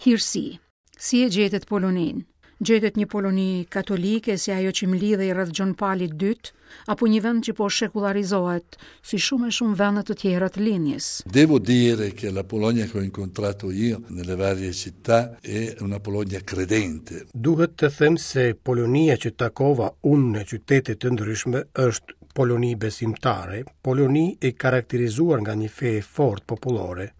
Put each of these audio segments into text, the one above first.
Hirësi, si e gjetët Poloninë? Gjetët një Poloni katolike si ajo që mblidhej rreth Gjon Palit II, apo një vend që po shekullarizohet, si shumë e shumë vende të tjera të lindjes? Devo dire che la Polonia che ho incontrato io nelle varie città è una Polonia credente. Duhet të them se Polonia që takova unë në qytete të ndryshme është Poloni besimtare, Poloni e karakterizuar nga një fe e fortë popullore.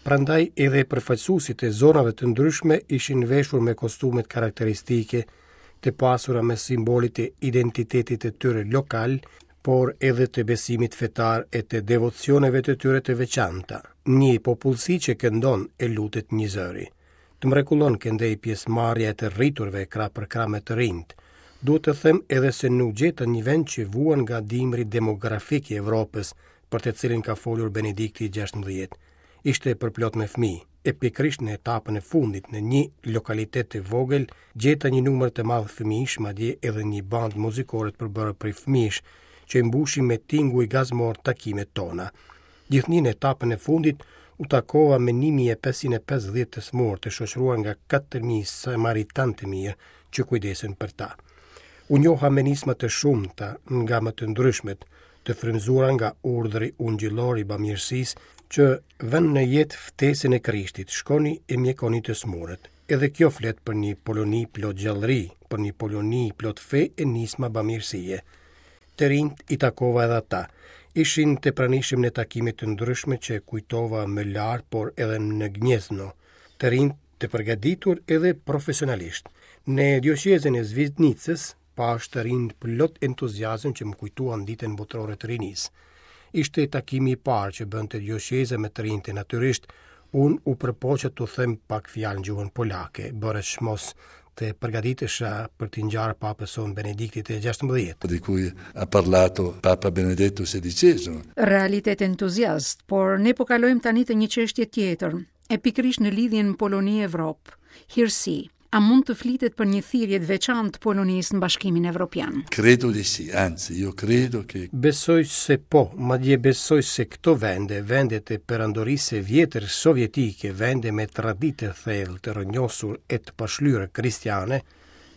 Prandaj edhe përfaqësuesit e zonave të ndryshme ishin veshur me kostumet karakteristike, të pasura me simbolet e identitetit të tyre lokal, por edhe të besimit fetar e të devocioneve të tyre të veçanta. Një popullsi që këndon e lutet njëzëri. Të mrekullon këndej pjesëmarrja e të rriturve krah për krah me të rinjtë. Duhet të them edhe se nuk gjeta një vend që vuan nga dimri demografik i Evropës, për të cilin ka folur Benedikti i 16. Ishte përplot me fëmijë, e pikërisht në etapën e fundit në një lokalitet të vogël gjeta një numër të madh fëmijësh, madje edhe një bandë muzikore të përbërë prej fëmijësh, që i mbushi me tinguj gazmor takimet tona. Gjithnjë në etapën e fundit u takova me 1550 të sëmurë të shoqëruar nga 4000 samaritanë të mirë që kujdesen për ta. U njoha me nisma të shumta nga më të ndryshmet, të frymëzuara nga urdhri ungjillor i bamirësisë që vën në jetë ftesën e Krishtit, shkoni e mjekoni të sëmurët. Edhe kjo flet për një Poloni plot gjallëri, për një Poloni plot fe e nisma bamirësie. Të rinjtë i takova edhe ata. Ishin të pranishëm në takime të ndryshme që kujtova më lart, por edhe në Gniezno. Të rinjtë të përgatitur edhe profesionalisht. Në dioqezën e Svidnicës pashë të rinj plot entuziazëm që më kujtuan ditën botërore të rinisë. Ishte takimi i parë që bënte dioqeza me të rinjtë natyrisht, unë u përpoqa t'u them pak fjalë në gjuhën polake, bëra çmos të përgatitesha për t'i ngjarë papës sonë Benediktit të 16. Di cui ha parlato Papa Benedetto XVI. Realitet entuziast, por ne po kalojmë tani te një çështje tjetër, e pikërisht në lidhjen Poloni-Evropë. Hirësi, a mund të flitet për një thirrje të veçantë të Polonisë në Bashkimin Evropian? Credo di sì, anzi io credo che Besoj se po, madje besoj se këto vende, vendet e perandorisë së vjetër sovjetike, vende me traditë të thellë të rrënjosur e të pashlyer kristiane,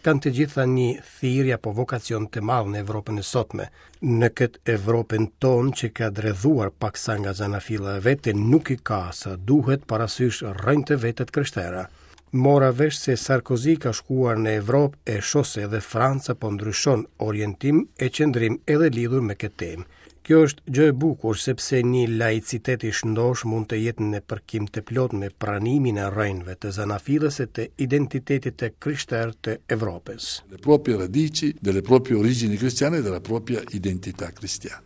kanë të gjitha një thirrje apo vokacion të madh në Evropën e sotme. Në këtë Evropën tonë që ka dredhuar paksa nga zanafilla e vet e nuk i ka sa duhet parasysh rrënjët e veta të krishtera. Mora vesh se Sarkozy ka shkuar në Evropë e shoh se edhe Franca po ndryshon orientim e qëndrim edhe lidhur me këtë temë. Kjo është gjë e bukur sepse një laicitet i shëndoshë mund të jetë në përkim të plotë me pranimin e rrënjëve të zanafillës e të identitetit të krishterë të Evropës. Le proprie radici, delle proprie origini cristiane e della propria identità cristiana.